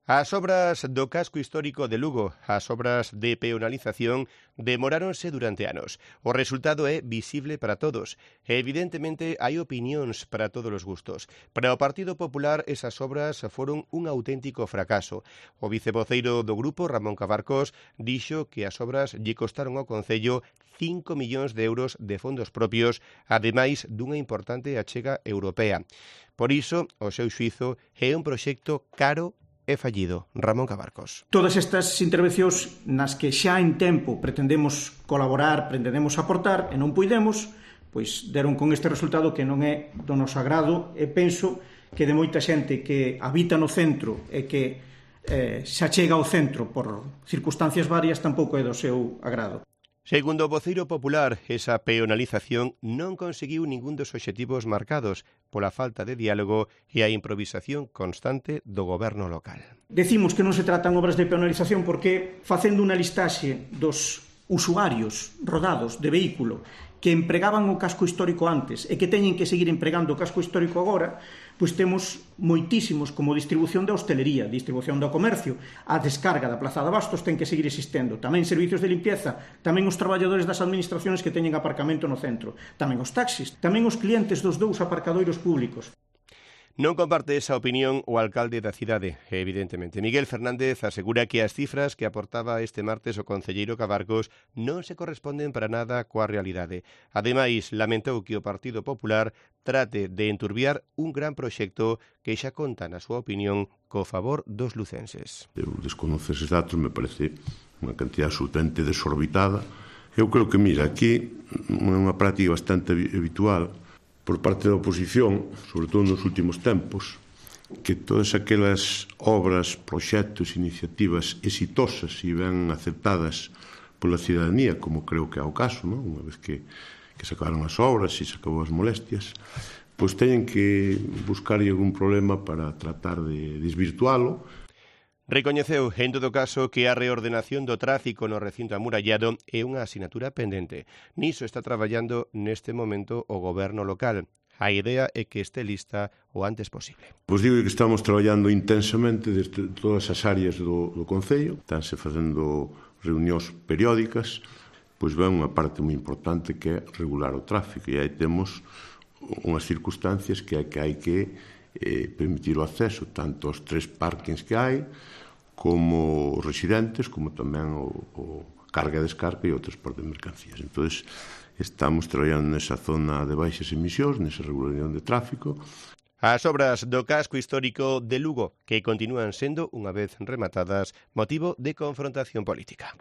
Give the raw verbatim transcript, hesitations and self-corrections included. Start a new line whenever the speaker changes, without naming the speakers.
As obras do casco histórico de Lugo, as obras de peonalización, demoráronse durante anos. O resultado é visible para todos. E, evidentemente, hai opinións para todos os gustos. Para o Partido Popular, esas obras foron un auténtico fracaso. O vicevoceiro do grupo, Ramón Cabarcos, dixo que as obras lle costaron ao Concello cinco millóns de euros de fondos propios, ademais dunha importante achega europea. Por iso, o seu xuízo é un proxecto caro é fallido. Ramón Cabarcos.
Todas estas intervencións nas que xa en tempo pretendemos colaborar, pretendemos aportar e non puidemos, pois deron con este resultado que non é do noso agrado e penso que de moita xente que habita no centro e que eh, xa chega ao centro por circunstancias varias tampouco é do seu agrado.
Segundo o voceiro popular, esa peonalización non conseguiu ningún dos obxectivos marcados pola falta de diálogo e a improvisación constante do goberno local.
Decimos que non se tratan obras de peonalización porque, facendo unha listaxe dos usuarios rodados de vehículo que empregaban o casco histórico antes e que teñen que seguir empregando o casco histórico agora, pois temos moitísimos como distribución da hostelería, distribución do comercio, a descarga da Plaza de Bastos ten que seguir existendo, tamén servicios de limpieza, tamén os traballadores das administracións que teñen aparcamento no centro, tamén os taxis, tamén os clientes dos dous aparcadoiros públicos.
Non comparte esa opinión o alcalde da cidade, evidentemente. Miguel Fernández asegura que as cifras que aportaba este martes o concelleiro Cabarcos non se corresponden para nada coa realidade. Ademais, lamentou que o Partido Popular trate de enturbiar un gran proxecto que xa conta, na súa opinión, co favor dos lucenses.
Eu desconocer eses datos, me parece unha cantidad absolutamente desorbitada. Eu creo que, mira, aquí é unha práctica bastante habitual por parte da oposición, sobre todo nos últimos tempos, que todas aquelas obras, proxectos, iniciativas exitosas e ben aceptadas pola cidadanía, como creo que é o caso, non? Unha vez que, que se acabaron as obras e se acabou as molestias, pois teñen que buscar algún problema para tratar de desvirtualo.
Recoñeceu, en todo caso, que a reordenación do tráfico no recinto amurallado é unha asignatura pendente. Niso está traballando neste momento o goberno local. A idea é que este lista o antes posible.
Pois digo que estamos traballando intensamente desde todas as áreas do, do Concello. Estánse facendo reunións periódicas, pois ven unha parte moi importante que é regular o tráfico. E aí temos unhas circunstancias que é que hai que eh, permitir o acceso tanto aos tres parkings que hai, como os residentes, como tamén o, o carga e descarga e o transporte de mercancías. Entón, estamos traballando nesa zona de baixas emisións, nesa regulación de tráfico.
As obras do casco histórico de Lugo, que continúan sendo, unha vez rematadas, motivo de confrontación política.